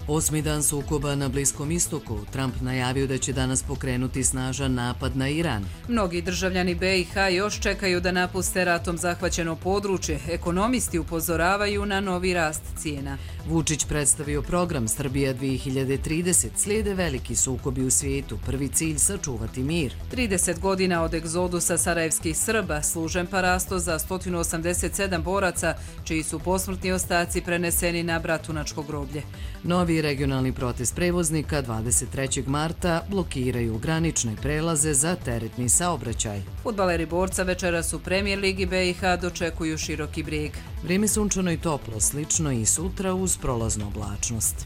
Osmi dan sukoba na Bliskom istoku. Trump najavio da će danas pokrenuti snažan napad na Iran. Mnogi državljani BiH još čekaju da napuste ratom zahvaćeno područje. Ekonomisti upozoravaju na novi rast cijena. Vučić predstavio program Srbija 2030. Slijede veliki sukobi u svijetu. Prvi cilj sačuvati mir. 30 godina od egzodusa sarajevskih Srba, služen parasto za 187 boraca, čiji su posmrtni ostaci preneseni na Bratunačko groblje. Novi regionalni protest prevoznika 23. marta blokiraju granične prelaze za teretni saobraćaj. Fudbaleri Borca večeras u Premier ligi BiH dočekuju Široki Brijeg. Vrijeme sunčano i toplo, slično i sutra uz prolaznu oblačnost.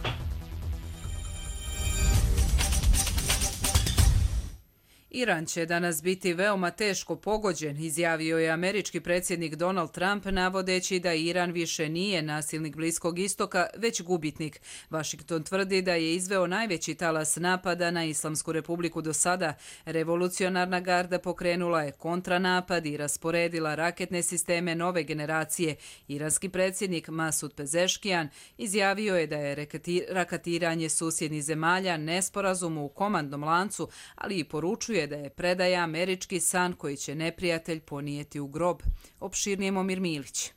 Iran će danas biti veoma teško pogođen, izjavio je američki predsjednik Donald Trump, navodeći da Iran više nije nasilnik Bliskog istoka, već gubitnik. Washington tvrdi da je izveo najveći talas napada na Islamsku republiku do sada. Revolucionarna garda pokrenula je kontranapad i rasporedila raketne sisteme nove generacije. Iranski predsjednik Masud Pezeškijan izjavio je da je raketiranje susjednih zemalja nesporazum u komandnom lancu, ali i poručuje da je predaja američki san koji će neprijatelj ponijeti u grob. Opširnije Momir Milić.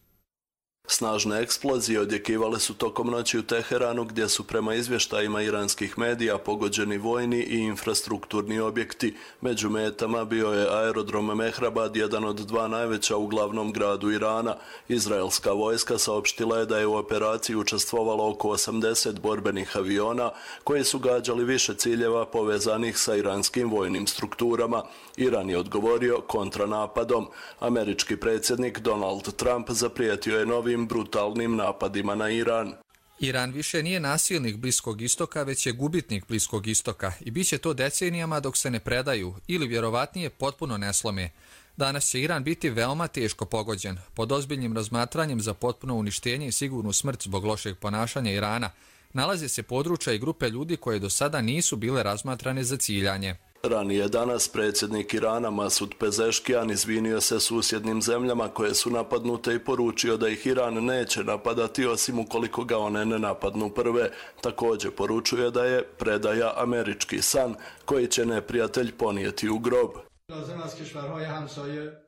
Snažne eksplozije odjekivale su tokom noći u Teheranu, gdje su prema izvještajima iranskih medija pogođeni vojni i infrastrukturni objekti. Među metama bio je aerodrom Mehrabad, jedan od dva najveća u glavnom gradu Irana. Izraelska vojska saopštila je da je u operaciji učestvovalo oko 80 borbenih aviona koji su gađali više ciljeva povezanih sa iranskim vojnim strukturama. Iran je odgovorio kontranapadom. Američki predsjednik Donald Trump zaprijetio je novim brutalnim napadima na Iran. Iran više nije nasilnik Bliskog istoka, već je gubitnik Bliskog istoka i bit će to decenijama dok se ne predaju ili vjerovatnije potpuno ne slome. Danas će Iran biti veoma teško pogođen, pod ozbiljnim razmatranjem za potpuno uništenje i sigurnu smrt zbog lošeg ponašanja Irana. Nalaze se područja i grupe ljudi koje do sada nisu bile razmatrane za ciljanje. Ranije danas predsjednik Irana Masud Pezeškijan izvinio se susjednim zemljama koje su napadnute i poručio da ih Iran neće napadati osim ukoliko ga one ne napadnu prve. Također poručuje da je predaja američki san koji će neprijatelj ponijeti u grob.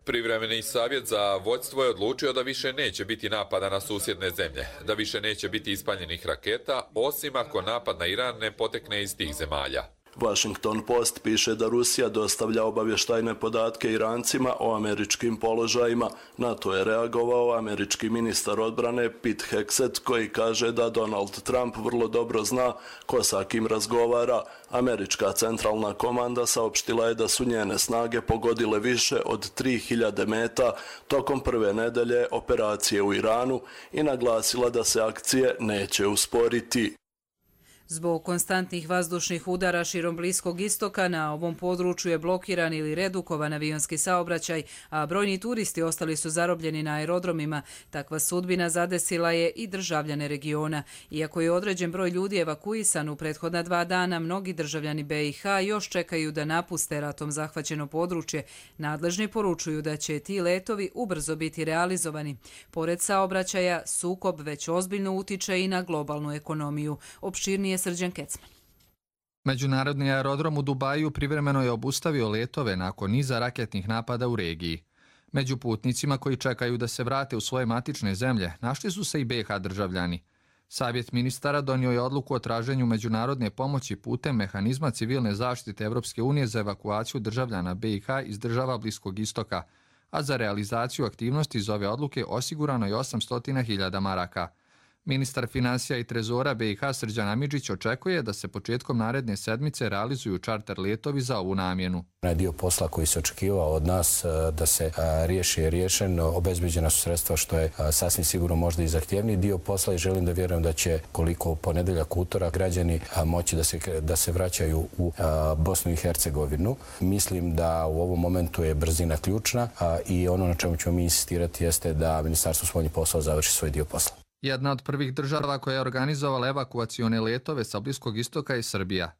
Privremeni savjet za vodstvo je odlučio da više neće biti napada na susjedne zemlje, da više neće biti ispaljenih raketa, osim ako napad na Iran ne potekne iz tih zemalja. Washington Post piše da Rusija dostavlja obavještajne podatke Irancima o američkim položajima. Na to je reagovao američki ministar odbrane Pete Hegseth, koji kaže da Donald Trump vrlo dobro zna ko sa kim razgovara. Američka centralna komanda saopštila je da su njene snage pogodile više od 3000 meta tokom prve nedelje operacije u Iranu i naglasila da se akcije neće usporiti. Zbog konstantnih vazdušnih udara širom Bliskog istoka na ovom području je blokiran ili redukovan avionski saobraćaj, a brojni turisti ostali su zarobljeni na aerodromima. Takva sudbina zadesila je i državljane regiona. Iako je određen broj ljudi evakuisan u prethodna 2 dana, mnogi državljani BiH još čekaju da napuste ratom zahvaćeno područje. Nadležni poručuju da će ti letovi ubrzo biti realizovani. Pored saobraćaja, sukob već ozbiljno utiče i na globalnu ekonomiju. Opširnije Srđan Kecman. Međunarodni aerodrom u Dubaju privremeno je obustavio letove nakon niza raketnih napada u regiji. Među putnicima koji čekaju da se vrate u svoje matične zemlje našli su se i BiH državljani. Savjet ministara donio je odluku o traženju međunarodne pomoći putem mehanizma civilne zaštite Evropske unije za evakuaciju državljana BiH iz država Bliskog istoka, a za realizaciju aktivnosti iz ove odluke osigurano je 800.000 maraka. Ministar financija i trezora BiH Srđan Amidžić očekuje da se početkom naredne sedmice realizuju čarter letovi za ovu namjenu. Dio posla koji se očekivao od nas da se riješi je riješen, obezbeđena su sredstva što je sasvim sigurno možda i zahtjevniji dio posla i želim da vjerujem da će koliko u ponedjeljak, utorak građani moći da se vraćaju u Bosnu i Hercegovinu. Mislim da u ovom momentu je brzina ključna i ono na čemu ćemo mi insistirati jeste da Ministarstvo spoljnih poslova završi svoj dio posla. Jedna od prvih država koja je organizovala evakuacione letove sa Bliskog istoka je Srbija.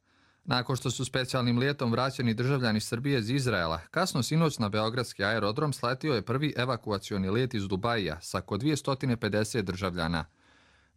Nakon što su specijalnim letom vraćeni državljani Srbije iz Izraela, kasno sinoć na beogradski aerodrom sletio je prvi evakuacioni let iz Dubaija sa oko 250 državljana.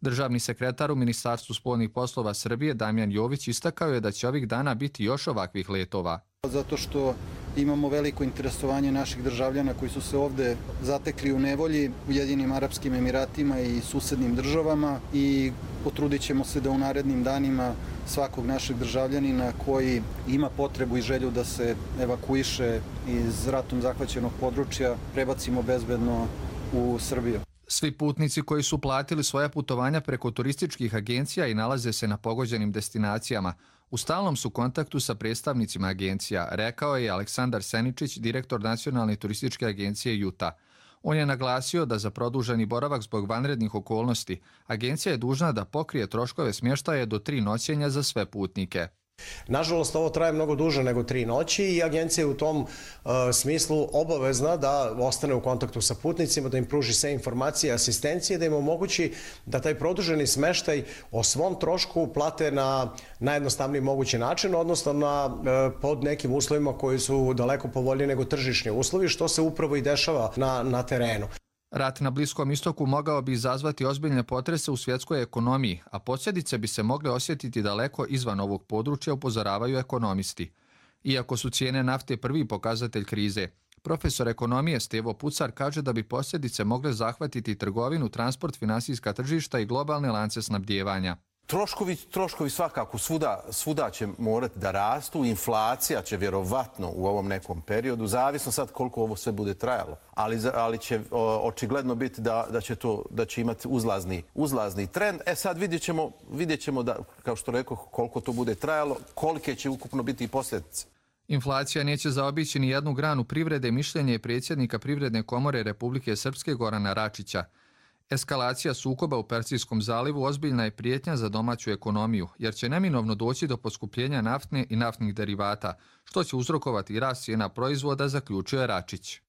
Državni sekretar u Ministarstvu spoljnih poslova Srbije Damjan Jović istakao je da će ovih dana biti još ovakvih letova. Zato što imamo veliko interesovanje naših državljana koji su se ovde zatekli u nevolji u Ujedinjenim Arapskim Emiratima i susednim državama i potrudit ćemo se da u narednim danima svakog našeg državljanina koji ima potrebu i želju da se evakuiše iz ratom zahvaćenog područja prebacimo bezbedno u Srbiju. Svi putnici koji su platili svoja putovanja preko turističkih agencija i nalaze se na pogođenim destinacijama u stalnom su kontaktu sa predstavnicima agencija, rekao je Aleksandar Seničić, direktor Nacionalne turističke agencije Juta. On je naglasio da za produženi boravak zbog vanrednih okolnosti agencija je dužna da pokrije troškove smještaja do 3 noćenja za sve putnike. Nažalost, ovo traje mnogo duže nego 3 noći i agencija je u tom smislu obavezna da ostane u kontaktu sa putnicima, da im pruži sve informacije, asistencije, da im omogući da taj produženi smeštaj o svom trošku plate na najjednostavniji mogući način, odnosno pod nekim uslovima koji su daleko povoljniji nego tržišni uslovi, što se upravo i dešava na terenu. Rat na Bliskom istoku mogao bi izazvati ozbiljne potrese u svjetskoj ekonomiji, a posljedice bi se mogle osjetiti daleko izvan ovog područja, upozoravaju ekonomisti. Iako su cijene nafte prvi pokazatelj krize, profesor ekonomije Stevo Pucar kaže da bi posljedice mogle zahvatiti trgovinu, transport, finansijska tržišta i globalne lance snabdijevanja. Troškovi svakako svuda će morati da rastu, inflacija će vjerovatno u ovom nekom periodu, zavisno sad koliko ovo sve bude trajalo, ali će očigledno biti da će imati uzlazni trend. Sad vidjet ćemo da, kao što rekao, koliko to bude trajalo, kolike će ukupno biti i posljedice. Inflacija neće zaobići ni jednu granu privrede, mišljenje je predsjednika Privredne komore Republike Srpske Gorana Račića. Eskalacija sukoba u Persijskom zalivu ozbiljna je prijetnja za domaću ekonomiju, jer će neminovno doći do poskupljenja naftne i naftnih derivata, što će uzrokovati i rast cijena proizvoda, zaključuje Račić.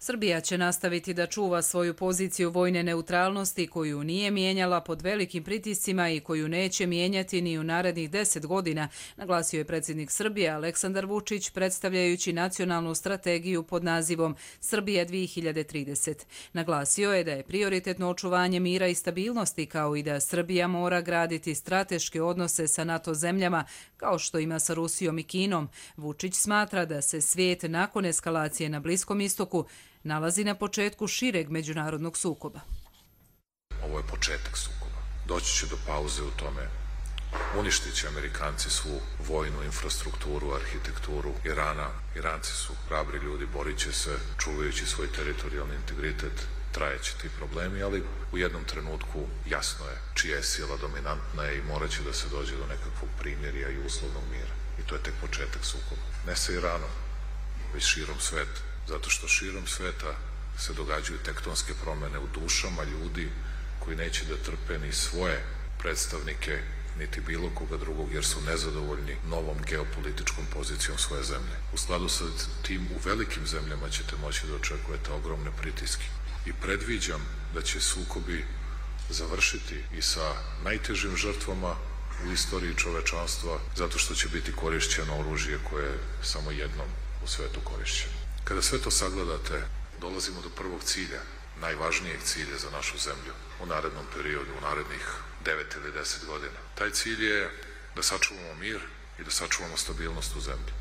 Srbija će nastaviti da čuva svoju poziciju vojne neutralnosti koju nije mijenjala pod velikim pritiscima i koju neće mijenjati ni u narednih 10 godina, naglasio je predsjednik Srbije Aleksandar Vučić predstavljajući nacionalnu strategiju pod nazivom Srbije 2030. Naglasio je da je prioritetno očuvanje mira i stabilnosti kao i da Srbija mora graditi strateške odnose sa NATO zemljama kao što ima sa Rusijom i Kinom. Vučić smatra da se svijet nakon eskalacije na Bliskom istoku nalazi na početku šireg međunarodnog sukoba. Ovo je početak sukoba. Doći će do pauze u tome. Uništit će Amerikanci svu vojnu infrastrukturu, arhitekturu Irana. Iranci su hrabri ljudi, borit će se, čuvajući svoj teritorijalni integritet. Trajeće ti problemi, ali u jednom trenutku jasno je čija je sila dominantna i morat će da se dođe do nekakvog primirja i uslovnog mira. I to je tek početak sukoba. Ne sa Iranom, već širom sveta. Zato što širom sveta se događaju tektonske promjene u dušama ljudi koji neće da trpe ni svoje predstavnike, niti bilo koga drugog, jer su nezadovoljni novom geopolitičkom pozicijom svoje zemlje. U skladu sa tim u velikim zemljama ćete moći da očekujete ogromne pritiske. I predviđam da će sukobi završiti i sa najtežim žrtvama u istoriji čovečanstva, zato što će biti korišćeno oružje koje je samo jednom u svetu korišćeno. Kada sve to sagledate, dolazimo do prvog cilja, najvažnijeg cilja za našu zemlju u narednom periodu, u narednih 9 ili 10 godina. Taj cilj je da sačuvamo mir i da sačuvamo stabilnost u zemlji.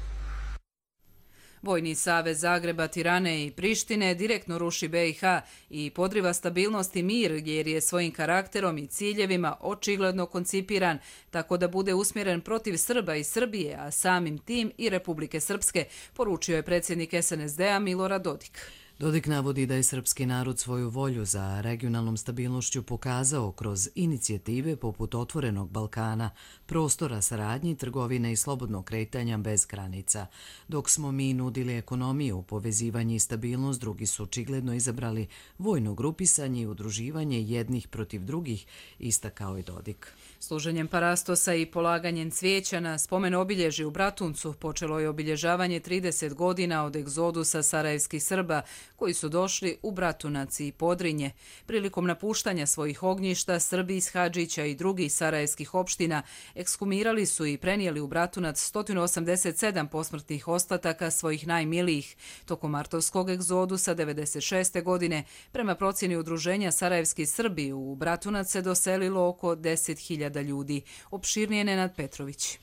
Vojni savez Zagreba, Tirane i Prištine direktno ruši BiH i podriva stabilnost i mir jer je svojim karakterom i ciljevima očigledno koncipiran tako da bude usmjeren protiv Srba i Srbije, a samim tim i Republike Srpske, poručio je predsjednik SNSD-a Milorad Dodik. Dodik navodi da je srpski narod svoju volju za regionalnom stabilnošću pokazao kroz inicijative poput Otvorenog Balkana, prostora saradnji, trgovine i slobodnog kretanja bez granica. Dok smo mi nudili ekonomiju, povezivanje i stabilnost, drugi su očigledno izabrali vojno grupisanje i udruživanje jednih protiv drugih, istakao je Dodik. Služenjem parastosa i polaganjem cvijeća na spomen obilježje u Bratuncu počelo je obilježavanje 30 godina od egzodusa sarajevskih Srba koji su došli u Bratunac i Podrinje. Prilikom napuštanja svojih ognjišta, Srbi iz Hadžića i drugih sarajevskih opština ekshumirali su i prenijeli u Bratunac 187 posmrtnih ostataka svojih najmilijih. Tokom martovskog egzodusa 1996. godine, prema procjeni Udruženja Sarajevski Srbi, u Bratunac se doselilo oko 10.000 ljudi. Opširnije Nenad Petrović.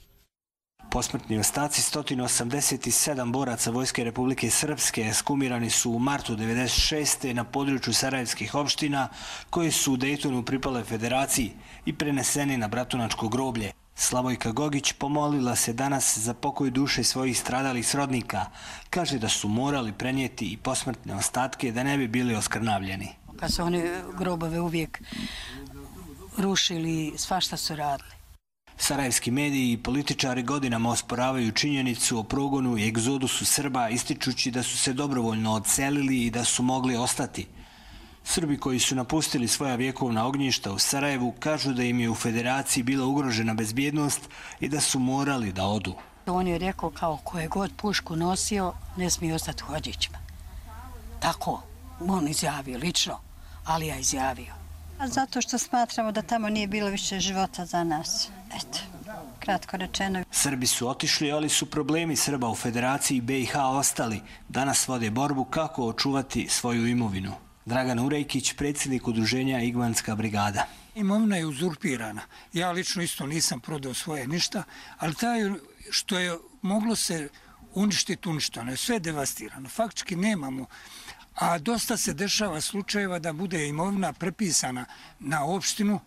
Posmrtni ostaci 187 boraca Vojske Republike Srpske ekshumirani su u martu 1996. na području sarajevskih opština koji su u Dejtonu pripale federaciji i preneseni na Bratunačko groblje. Slavojka Gogić pomolila se danas za pokoj duše svojih stradalih srodnika. Kaže da su morali prenijeti i posmrtne ostatke da ne bi bili oskrnavljeni. Kad su oni grobove uvijek rušili, svašta su radili. Sarajevski mediji i političari godinama osporavaju činjenicu o progonu i egzodusu Srba, ističući da su se dobrovoljno odselili i da su mogli ostati. Srbi koji su napustili svoja vjekovna ognjišta u Sarajevu kažu da im je u federaciji bila ugrožena bezbjednost i da su morali da odu. On je rekao kao ko je god pušku nosio, ne smije ostati u Hadžićima. Tako, on izjavio lično, ali ja izjavio. Zato što smatramo da tamo nije bilo više života za nas. Eto, kratko rečeno. Srbi su otišli, ali su problemi Srba u Federaciji BiH ostali. Danas vode borbu kako očuvati svoju imovinu. Dragan Urejkić, predsjednik udruženja Igmanska brigada. Imovina je uzurpirana. Ja lično isto nisam prodao svoje ništa, ali taj što je moglo se uništiti, uništeno je. Sve je devastirano. Faktički nemamo. A dosta se dešava slučajeva da bude imovina prepisana na opštinu.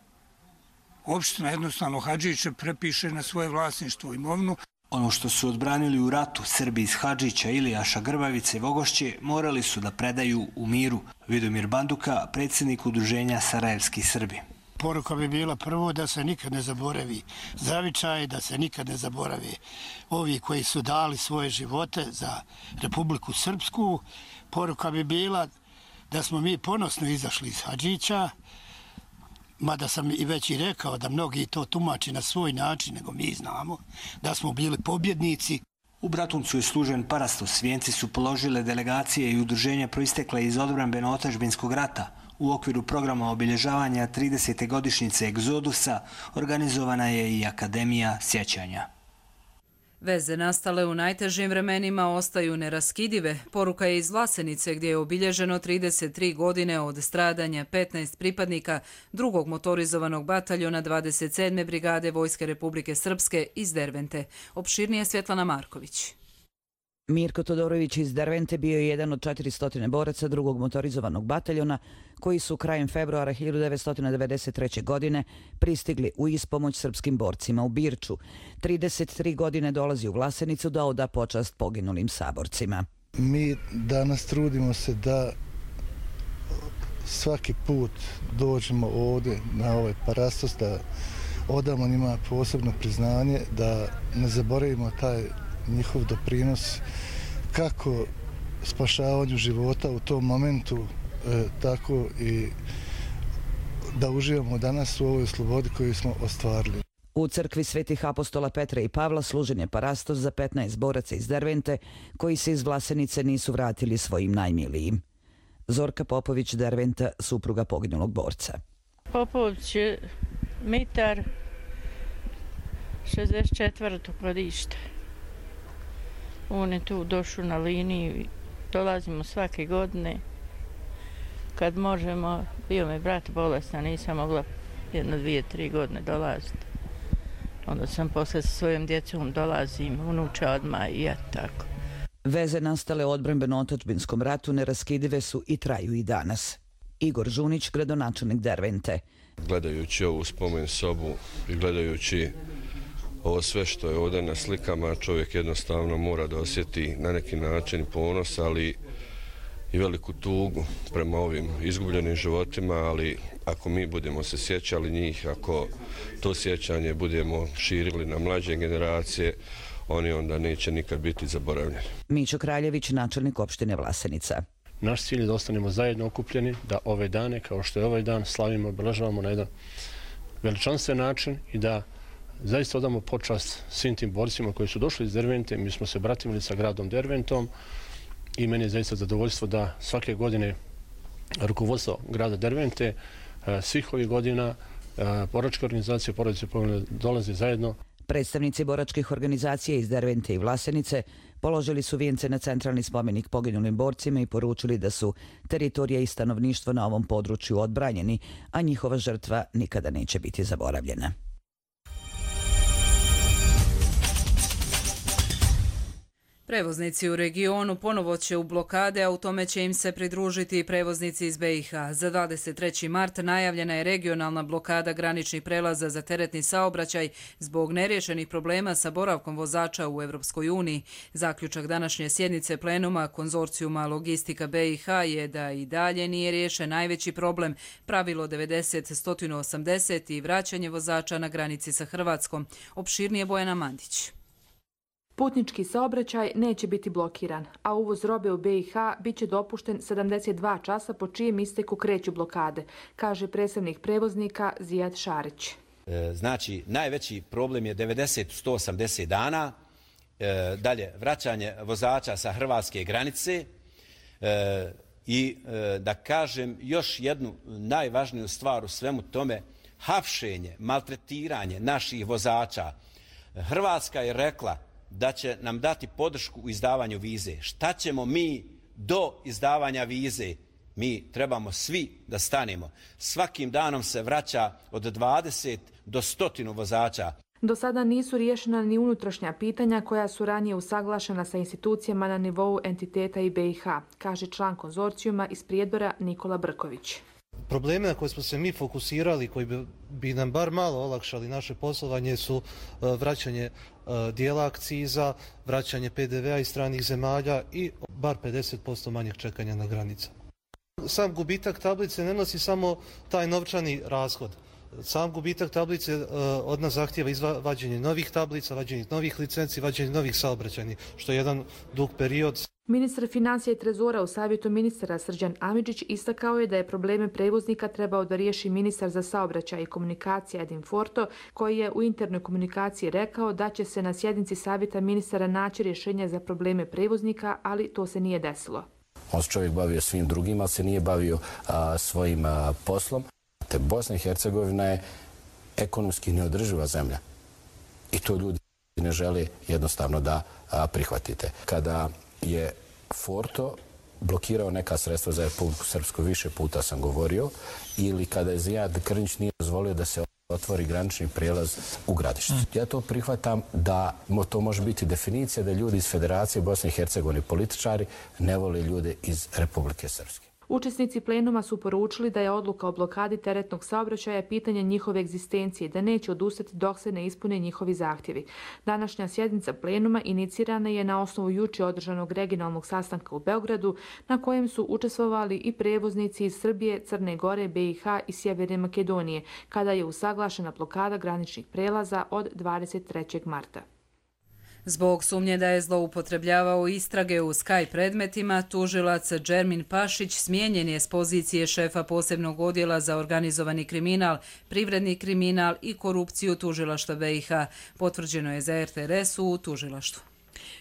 Opština jednostavno Hadžiće prepiše na svoje vlasništvo imovinu. Ono što su odbranili u ratu Srbi iz Hadžića, Ilijaša, Grbavice i Vogošće morali su da predaju u miru. Vidomir Banduka, predsjednik udruženja Sarajevski Srbi. Poruka bi bila prvo da se nikad ne zaboravi zavičaj, da se nikad ne zaboravi ovi koji su dali svoje živote za Republiku Srpsku. Poruka bi bila da smo mi ponosno izašli iz Hadžića, mada sam i već i rekao da mnogi to tumači na svoj način, nego mi znamo da smo bili pobjednici. U Bratuncu je služen parastos. Vijenci su položile delegacije i udruženja proistekle iz odbrambeno-otadžbinskog rata. U okviru programa obilježavanja 30. godišnjice egzodusa organizovana je i Akademija sjećanja. Veze nastale u najtežim vremenima ostaju neraskidive. Poruka je iz Vlasenice gdje je obilježeno 33 godine od stradanja 15 pripadnika drugog motorizovanog bataljona 27. brigade Vojske Republike Srpske iz Dervente. Opširnije Svjetlana Marković. Mirko Todorović iz Dervente bio je jedan od 400 boraca drugog motorizovanog bataljona koji su krajem februara 1993. godine pristigli u ispomoć srpskim borcima u Birču. 33 godine dolazi u Vlasenicu da oda počast poginulim saborcima. Mi danas trudimo se da svaki put dođemo ovdje na ovaj parastos, da odamo njima posebno priznanje, da ne zaboravimo taj njihov doprinos kako spašavanju života u tom momentu, tako i da uživamo danas u ovoj slobodi koju smo ostvarili. U crkvi Svetih apostola Petra i Pavla služen je parastos za 15 boraca iz Dervente koji se iz Vlasenice nisu vratili svojim najmilijim. Zorka Popović, Derventa, supruga poginulog borca. Popović je Mitar, 64. godište. On je tu došao na liniju, dolazimo svake godine. Kad možemo, bio mi brat bolestan, nisam mogla 1, 2, 3 godine dolaziti. Onda sam posle sa svojom djecom dolazim, unuča odmah i ja tako. Veze nastale u odbrambeno-otadžbinskom ratu neraskidive su i traju i danas. Igor Žunić, gradonačelnik Dervente. Gledajući ovu spomen sobu i gledajući ovo sve što je ovdje na slikama, čovjek jednostavno mora da osjeti na neki način ponos, ali i veliku tugu prema ovim izgubljenim životima, ali ako mi budemo se sjećali njih, ako to sjećanje budemo širili na mlađe generacije, oni onda neće nikad biti zaboravljeni. Mićo Kraljević, načelnik opštine Vlasenica. Naš cilj je da ostanemo zajedno okupljeni, da ove dane, kao što je ovaj dan, slavimo, obeležavamo na jedan veličanstven način i da zaista odamo počast svim tim borcima koji su došli iz Dervente. Mi smo se bratimili sa gradom Derventom i meni je zaista zadovoljstvo da svake godine rukovodstvo grada Dervente svih ovih godina boračke organizacije Porodice poginulih dolaze zajedno. Predstavnici boračkih organizacija iz Dervente i Vlasenice položili su vijence na centralni spomenik poginulim borcima i poručili da su teritorija i stanovništvo na ovom području odbranjeni, a njihova žrtva nikada neće biti zaboravljena. Prevoznici u regionu ponovo će u blokade, a u tome će im se pridružiti i prevoznici iz BiH. Za 23. mart najavljena je regionalna blokada graničnih prelaza za teretni saobraćaj zbog neriješenih problema sa boravkom vozača u Evropskoj uniji. Zaključak današnje sjednice plenuma konzorcijuma Logistika BiH je da i dalje nije riješen najveći problem, pravilo 90-180 i vraćanje vozača na granici sa Hrvatskom. Opširnije Bojana Mandić. Putnički saobraćaj neće biti blokiran, a uvoz robe u BiH biće dopušten 72 časa po čijem isteku kreću blokade, kaže predstavnik prevoznika Zijad Šarić. Znači, najveći problem je 90-180 dana, dalje vraćanje vozača sa hrvatske granice i da kažem još jednu najvažniju stvar u svemu tome, hapšenje, maltretiranje naših vozača. Hrvatska je rekla da će nam dati podršku u izdavanju vize. Šta ćemo mi do izdavanja vize? Mi trebamo svi da stanemo. Svakim danom se vraća od 20 do 100 vozača. Do sada nisu riješena ni unutrašnja pitanja koja su ranije usaglašena sa institucijama na nivou entiteta i BiH, kaže član konzorcijuma iz Prijedora Nikola Brković. Probleme na koje smo se mi fokusirali, koji bi nam bar malo olakšali naše poslovanje, su vraćanje dijela akciza, vraćanje PDV-a iz stranih zemalja i bar 50% manjeg čekanja na granicama. Sam gubitak tablice ne nosi samo taj novčani rashod. Sam gubitak tablice od nas zahtijeva vađenje novih tablica, vađenje novih licenci, vađenje novih saobraćajnih, što je jedan dug period. Ministar financija i trezora u savjetu ministara Srđan Amidžić istakao je da je probleme prevoznika trebao da riješi ministar za saobraćaj i komunikacija Edin Forto, koji je u internoj komunikaciji rekao da će se na sjednici savjeta ministara naći rješenja za probleme prevoznika, ali to se nije desilo. On se čovjek bavio svim drugim, ali se nije bavio svojim poslom. Te Bosna i Hercegovina je ekonomski neodrživa zemlja i to ljudi ne žele jednostavno da prihvatite. Kada je Forto blokirao neka sredstva za Republiku Srpsku, više puta sam govorio, ili kada je Zijad Krnić nije dozvolio da se otvori granični prijelaz u Gradišcu. Ja to prihvatam da to može biti definicija da ljudi iz Federacije Bosne i Hercegovine, političari, ne vole ljude iz Republike Srpske. Učesnici plenuma su poručili da je odluka o blokadi teretnog saobraćaja pitanje njihove egzistencije i da neće odustati dok se ne ispune njihovi zahtjevi. Današnja sjednica plenuma inicirana je na osnovu juče održanog regionalnog sastanka u Beogradu, na kojem su učestvovali i prevoznici iz Srbije, Crne Gore, BiH i Sjeverne Makedonije, kada je usaglašena blokada graničnih prelaza od 23. marta. Zbog sumnje da je zloupotrebljavao istrage u Sky predmetima, tužilac Džermin Pašić smijenjen je s pozicije šefa posebnog odjela za organizovani kriminal, privredni kriminal i korupciju tužilaštva BiH. Potvrđeno je za RTRS u tužilaštvu.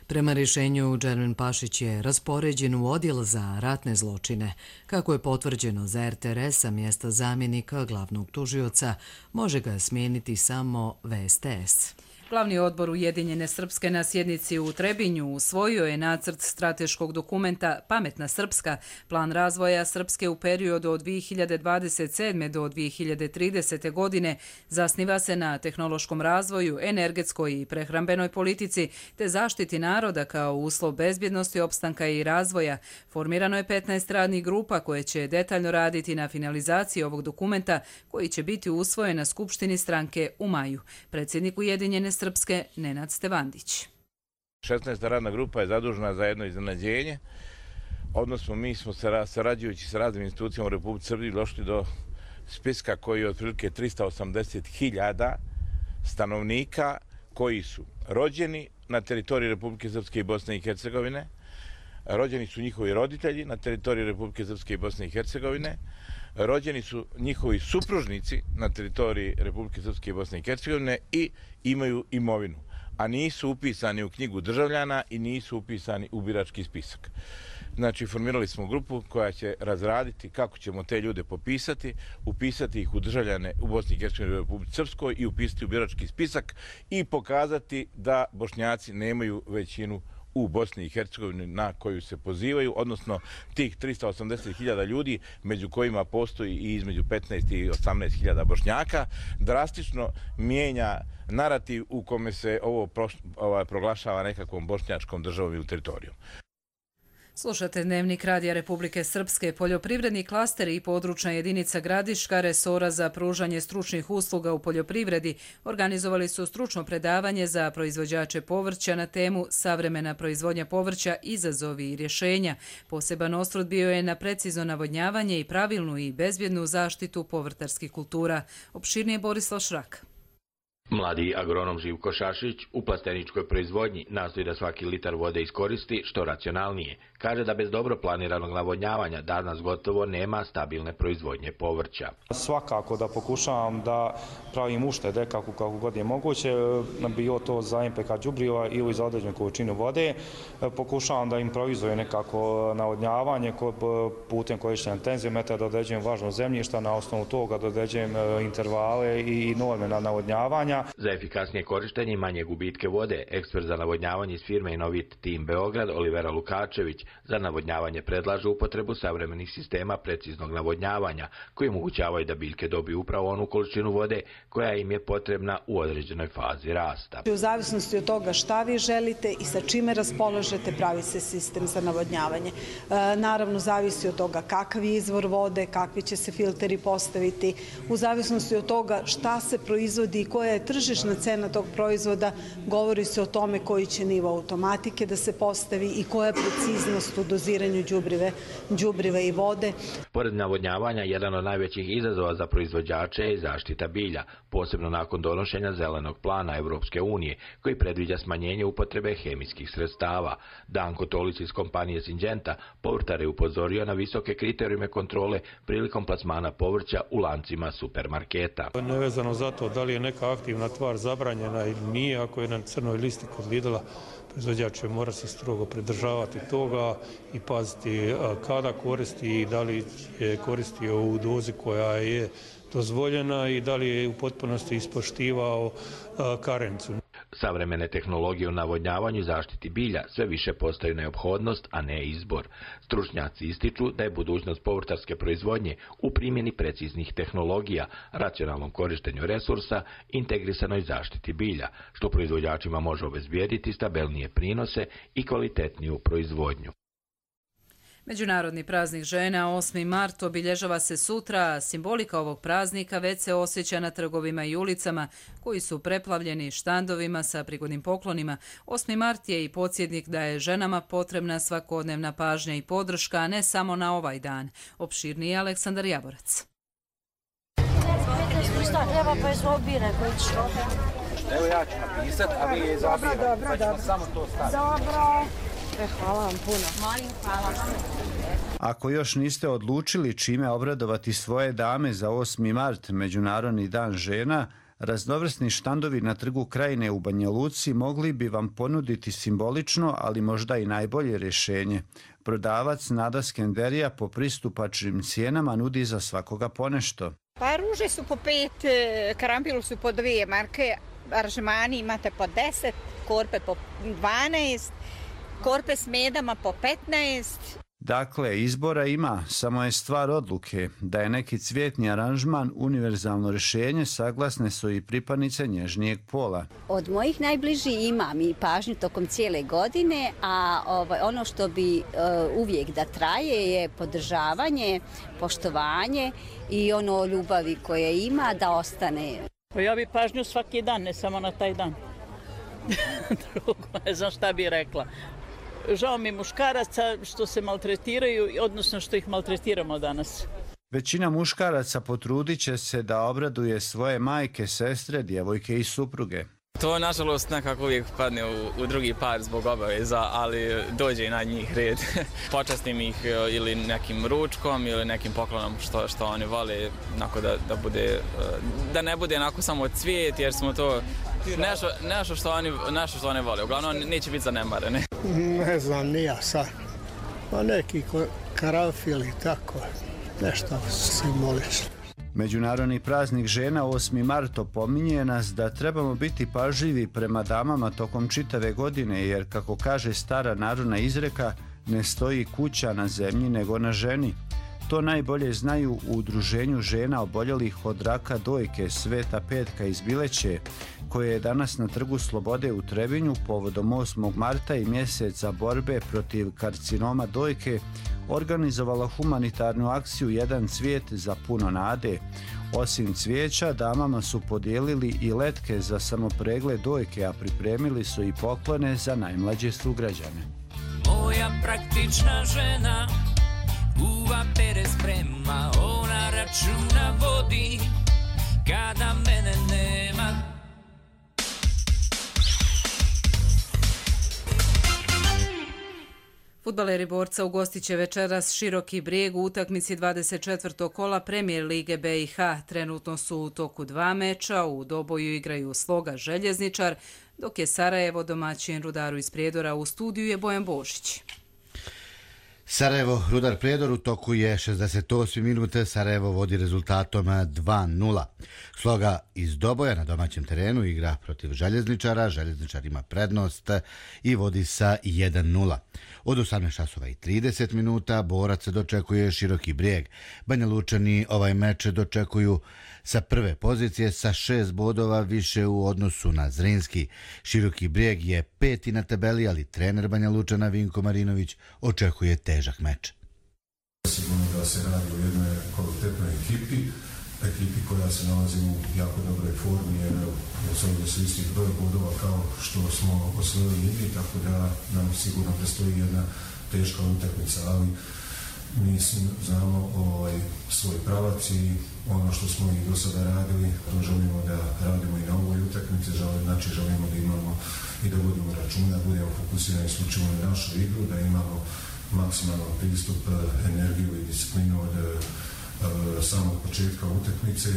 Prema rješenju, Džermin Pašić je raspoređen u odjel za ratne zločine. Kako je potvrđeno za RTRS sa mjesta zamjenika glavnog tužioca, može ga smijeniti samo VSTS. Glavni odbor Ujedinjene Srpske na sjednici u Trebinju usvojio je nacrt strateškog dokumenta Pametna Srpska, plan razvoja Srpske u periodu od 2027. do 2030. godine. Zasniva se na tehnološkom razvoju, energetskoj i prehrambenoj politici te zaštiti naroda kao uslov bezbjednosti, opstanka i razvoja. Formirano je 15 radnih grupa koje će detaljno raditi na finalizaciji ovog dokumenta koji će biti usvojen na Skupštini stranke u maju. Predsjednik Ujedinjene Srpske Nenad Stevandić. 16. radna grupa je zadužena za jedno iznenađenje, odnosno mi smo sarađujući sa raznim institucijama u Republici Srbiji došli do spiska koji je otprilike 380.000 stanovnika koji su rođeni na teritoriji Republike Srpske i Bosne i Hercegovine, rođeni su njihovi roditelji na teritoriji Republike Srpske i Bosne i Hercegovine, rođeni su njihovi supružnici na teritoriji Republike Srpske i Bosne i Hercegovine i imaju imovinu, a nisu upisani u knjigu državljana i nisu upisani u birački spisak. Znači, formirali smo grupu koja će razraditi kako ćemo te ljude popisati, upisati ih u državljane u Bosni i Hercegovini i Republici Srpskoj i upisati u birački spisak i pokazati da Bošnjaci nemaju većinu u Bosni i Hercegovini na koju se pozivaju, odnosno tih 380.000 ljudi, među kojima postoji i između 15 i 18.000 Bošnjaka, drastično mijenja narativ u kome se ovo proglašava nekakvom bošnjačkom državom ili teritorijom. Slušate Dnevnik Radija Republike Srpske. Poljoprivredni klasteri i područna jedinica Gradiška resora za pružanje stručnih usluga u poljoprivredi organizovali su stručno predavanje za proizvođače povrća na temu Savremena proizvodnja povrća, izazovi i rješenja. Poseban osvrt bio je na precizno navodnjavanje i pravilnu i bezbjednu zaštitu povrtarskih kultura. Opširnije Borislav Šrak. Mladi agronom Živko Šašić u plasteničkoj proizvodnji nastoji da svaki litar vode iskoristi što racionalnije. Kaže da bez dobro planiranog navodnjavanja danas gotovo nema stabilne proizvodnje povrća. Svakako da pokušavam da pravim uštede kako god je moguće, bilo to za NPK đubriva ili za određenu količinu vode. Pokušavam da improvizujem nekako navodnjavanje putem korištenja tenzimetra, da određujem važnost zemljišta, na osnovu toga da određujem intervale i norme na navodnjavanja. Za efikasnije korištenje i manje gubitke vode, ekspert za navodnjavanje iz firme Inovit Tim Beograd Olivera Lukačević za navodnjavanje predlaže upotrebu savremenih sistema preciznog navodnjavanja koji omogućavaju da biljke dobiju upravo onu količinu vode koja im je potrebna u određenoj fazi rasta. U zavisnosti od toga šta vi želite i sa čime raspolažete, pravi se sistem za navodnjavanje. Naravno, zavisi od toga kakav je izvor vode, kakvi će se filteri postaviti. U zavisnosti od toga šta se proizvodi i koja je tržišna cena tog proizvoda, govori se o tome koji će nivo automatike da se postavi i koja je preciznost u doziranju đubriva i vode. Pored navodnjavanja, jedan od najvećih izazova za proizvođače je zaštita bilja, posebno nakon donošenja zelenog plana Evropske unije, koji predviđa smanjenje upotrebe hemijskih sredstava. Danko Tolić iz kompanije Syngenta povrtare upozorio na visoke kriterijume kontrole prilikom plasmana povrća u lancima supermarketa. Nevezano za to da li je neka aktivna tvar zabranjena ili nije, ako je na crnoj listi kod Lidla, proizvođač mora se strogo pridržavati toga i paziti kada koristi i da li je koristio u dozi koja je dozvoljena i da li je u potpunosti ispoštivao karencu. Savremene tehnologije u navodnjavanju i zaštiti bilja sve više postaju neophodnost, a ne izbor. Stručnjaci ističu da je budućnost povrtarske proizvodnje u primjeni preciznih tehnologija, racionalnom korištenju resursa, integrisanoj zaštiti bilja, što proizvođačima može obezbijediti stabilnije prinose i kvalitetniju proizvodnju. Međunarodni praznik žena 8. mart obilježava se sutra. Simbolika ovog praznika već se osjeća na trgovima i ulicama koji su preplavljeni štandovima sa prigodnim poklonima. 8. mart je i podsjetnik da je ženama potrebna svakodnevna pažnja i podrška, a ne samo na ovaj dan. Opširniji je Aleksandar Jaborac. Evo ja ću napisati, a vi je zabirati. Dobro. Samo to staviti. Dobro. Hvala vam puno. Molim, hvala. Ako još niste odlučili čime obradovati svoje dame za 8. mart, Međunarodni dan žena, raznovrsni štandovi na Trgu Krajine u Banja Luci mogli bi vam ponuditi simbolično, ali možda i najbolje rješenje. Prodavac Nada Skenderija po pristupačnim cijenama nudi za svakoga ponešto. Pa ruže su po 5, karampilu su po 2 marke, aranžmani imate po 10, korpe po 12, korpe s medama po 15. Dakle, izbora ima, samo je stvar odluke. Da je neki cvjetni aranžman univerzalno rješenje, saglasne su i pripadnice nježnijeg pola. Od mojih najbližih imam i pažnju tokom cijele godine, a ono što bi uvijek da traje je podržavanje, poštovanje i ono ljubavi koje ima da ostane. Ja bi pažnju svaki dan, ne samo na taj dan. Drugo, ne znam šta bi rekla. Žao mi muškaraca što se maltretiraju, odnosno što ih maltretiramo danas. Većina muškaraca potrudit će se da obraduje svoje majke, sestre, djevojke i supruge. To, nažalost, nekako uvijek padne u drugi par zbog obaveza, ali dođe i na njih red. Počastim ih ili nekim ručkom ili nekim poklonom što oni vole, da ne bude onako samo cvijet, jer smo to nešto što oni vole. Uglavnom, neće biti zanemarene. Ne znam, ni ja sad. Pa neki karanfil i tako, nešto simbolično. Međunarodni praznik žena 8. mart opominje nas da trebamo biti pažljivi prema damama tokom čitave godine, jer kako kaže stara narodna izreka, ne stoji kuća na zemlji nego na ženi. To najbolje znaju u udruženju žena oboljelih od raka dojke Sveta Petka iz Bileće, koje je danas na Trgu Slobode u Trebinju povodom 8. marta i mjeseca borbe protiv karcinoma dojke organizovala humanitarnu akciju Jedan cvijet za puno nade. Osim cvijeća, damama su podijelili i letke za samopregled dojke, a pripremili su i poklone za najmlađe sugrađane. Moja praktična žena kuva pere sprema, ona računa vodi kada mene nema. Fudbaleri Borca ugostit će večeras Široki Brijeg u utakmici 24. kola Premijer Lige BiH. Trenutno su u toku 2 meča, u Doboju igraju Sloga Željezničar, dok je Sarajevo domaćin Rudaru iz Prijedora. U studiju je Bojan Božić. Sarajevo, Rudar Prijedor, u toku je 68. minute, Sarajevo vodi rezultatom 2-0. Sloga iz Doboja na domaćem terenu igra protiv Željezničara, Željezničar ima prednost i vodi sa 1-0. Od 18:30 minuta Borac dočekuje Široki Brijeg. Banja Lučani ovaj meč dočekuju sa prve pozicije sa 6 bodova više u odnosu na Zrinski. Široki Brijeg je 5. na tabeli, ali trener Banja Lučana Vinko Marinović očekuje težak meč. Sigurno da se radi o jednoj kvalitetnoj ekipi koja se nalazi u jako dobroj formi, jer osvojili su isti broj bodova kao što smo osvojili i mi, tako da nam sigurno predstoji jedna teška utakmica, ali mi znamo svoj pravac i ono što smo i do sada radili, to želimo da radimo i na ovoj utakmici, znači želimo da imamo i da vodimo računa, da budemo fokusirani isključivo na našu igru, da imamo maksimalan pristup, energiju i disciplinu od samog početka utakmice.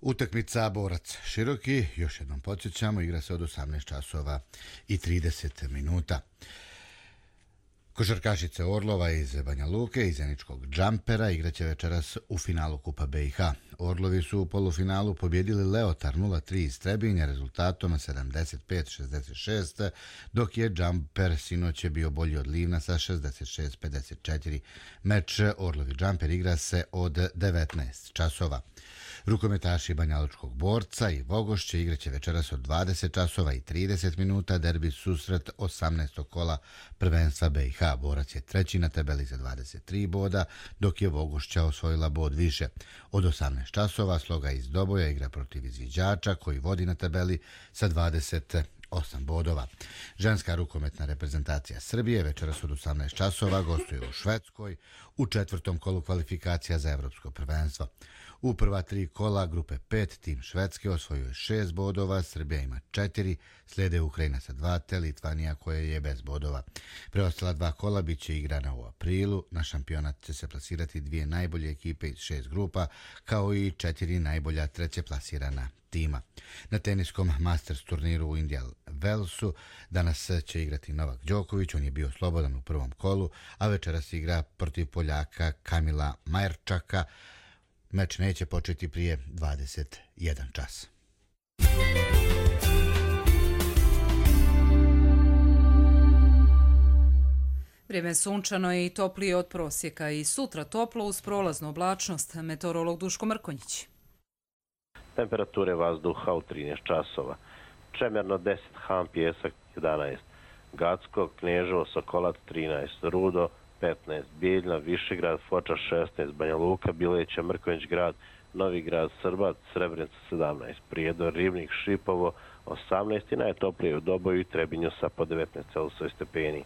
Utakmica Borac Široki, još jednom podsjećamo, igra se od 18:30 minuta. Košarkašice Orlova iz Banja Luke i Zeničkog Džampera igraće večeras u finalu Kupa BiH. Orlovi su u polufinalu pobjedili Leotar 0-3 iz Trebinja rezultatom 75-66, dok je Džamper sinoć bio bolji od Livna sa 66-54. Meč Orlovi Džamper igra se od 19 časova. Rukometaši Banjalučkog Borca i Vogošće igraće večeras od 20:30 minuta derbi susret 18. kola prvenstva BiH. Borac je 3. na tabeli za 23 boda, dok je Vogošća osvojila bod više. Od 18 časova Sloga iz Doboja igra protiv Izviđača koji vodi na tabeli sa 28 bodova. Ženska rukometna reprezentacija Srbije večeras od 18 časova gostuje u Švedskoj u 4. kolu kvalifikacija za evropsko prvenstvo. U prva 3 kola grupe 5 tim Švedske osvojuje 6 bodova, Srbija ima 4, slijede Ukrajina sa 2 te Litvanija koja je bez bodova. Preostala 2 kola bit će igrana u aprilu, na šampionat će se plasirati 2 najbolje ekipe iz 6 grupa, kao i 4 najbolja treće plasirana tima. Na teniskom Masters turniru u Indian Wellsu danas će igrati Novak Đoković, on je bio slobodan u prvom kolu, a večeras igra protiv Poljaka Kamila Majerčaka. Meč neće početi prije 21 čas. Vrijeme sunčano i toplije od prosjeka i sutra toplo uz prolaznu oblačnost. Meteorolog Duško Mrkonjić. Temperature vazduha u 13 časova. Čemerno 10, Han Pjesak 11, Gacko, Kneževo, Sokolac 13, Rudo 15, Bijeljna, Višegrad, Foča 16, Banja Luka, Bileća, Mrkonjić grad, Novi grad, Srbac, Srebrenica 17, Prijedor, Ribnik, Šipovo 18 i najtoplije u Doboju i Trebinju sa po 19 stepeni.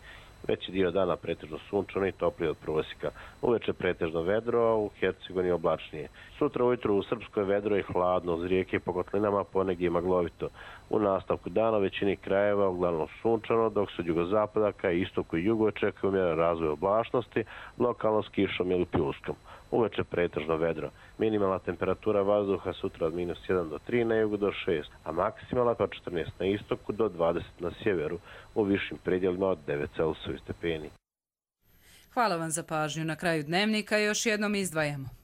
Veći dio dana pretežno sunčano i toplije od prosjeka. Uveče pretežno vedro, a u Hercegovini oblačnije. Sutra ujutru u Srpskoj vedro i hladno, uz rijeke i po kotlinama ponegdje maglovito. U nastavku dana u većini krajeva uglavnom sunčano, dok se od jugozapada ka istoku i jugu očekuje umjeren razvoj oblačnosti, lokalno s kišom ili pljuskom. Uveče pretežno vedro. Minimalna temperatura vazduha sutra od -1 do 3, na jugu do 6, a maksimalna od 14 na istoku do 20 na sjeveru, u višim predjelima od 9 Celsius stepeni. Hvala vam za pažnju. Na kraju dnevnika još jednom izdvajamo.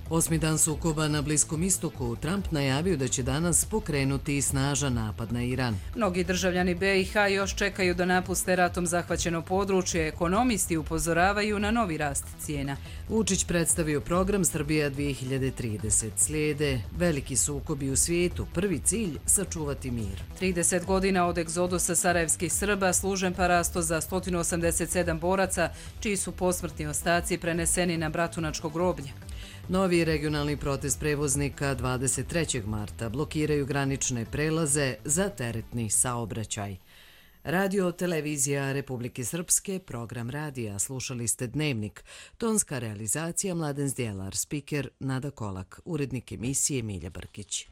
8. dan sukoba na Bliskom istoku. Trump najavio da će danas pokrenuti snažan napad na Iran. Mnogi državljani BiH još čekaju da napuste ratom zahvaćeno područje. Ekonomisti upozoravaju na novi rast cijena. Vučić predstavio program Srbija 2030. Slijede veliki sukobi u svijetu. Prvi cilj – sačuvati mir. 30 godina od egzodusa sarajevskih Srba, služen parasto za 187 boraca, čiji su posmrtni ostaci preneseni na Bratunačko groblje. Novi regionalni protest prevoznika 23. marta blokiraju granične prelaze za teretni saobraćaj. Radio televizija Republike Srpske, program radija, slušali ste Dnevnik, tonska realizacija Mladen Zdjelar, spiker Nada Kolak, urednik emisije Milja Brkić.